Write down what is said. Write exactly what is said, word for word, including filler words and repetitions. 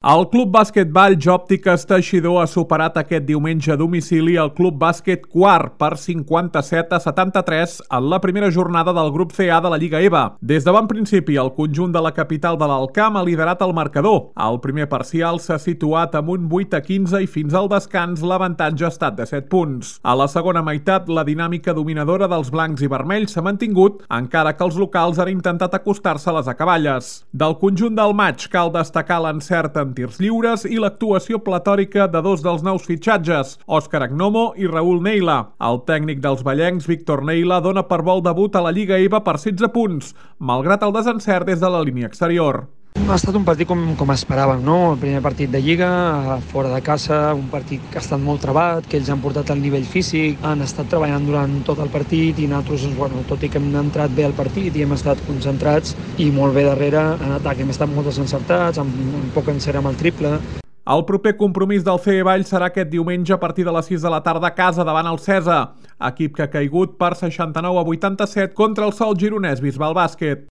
El Club Bàsquet Valls Òptiques Teixidor ha superat aquest diumenge a domicili el Club Bàsquet Quart per cinquanta-set a setanta-tres en la primera jornada del grup C A de la Lliga E V A. Des de bon principi, el conjunt de la capital de l'Alt Camp ha liderat el marcador. El primer parcial s'ha situat amb un vuit a quinze i fins al descans l'avantatge ha estat de set punts. A la segona meitat, la dinàmica dominadora dels blancs i vermells s'ha mantingut, encara que els locals han intentat acostar-se a les acaballes. Del conjunt del maig cal destacar l'encert en tirs lliures i l'actuació platòrica de dos dels nous fitxatges, Òscar Agnomo i Raúl Neila. El tècnic dels vallencs, Víctor Neila, dona per bo el debut a la Lliga E V A per setze punts, malgrat el desencert des de la línia exterior. Ha estat un partit com, com esperàvem, no? El primer partit de Lliga, fora de casa, un partit que ha estat molt trebat, que ells han portat al nivell físic, han estat treballant durant tot el partit i nosaltres, bueno, tot i que hem entrat bé al partit i hem estat concentrats i molt bé darrere, en atac hem estat molt desencertats, amb, amb poc encert amb el triple. El proper compromís del C E Valls serà aquest diumenge a partir de les sis de la tarda a casa davant el Cesa, equip que ha caigut per seixanta-nou a vuitanta-set contra el Sol Gironès Bisbal Bàsquet.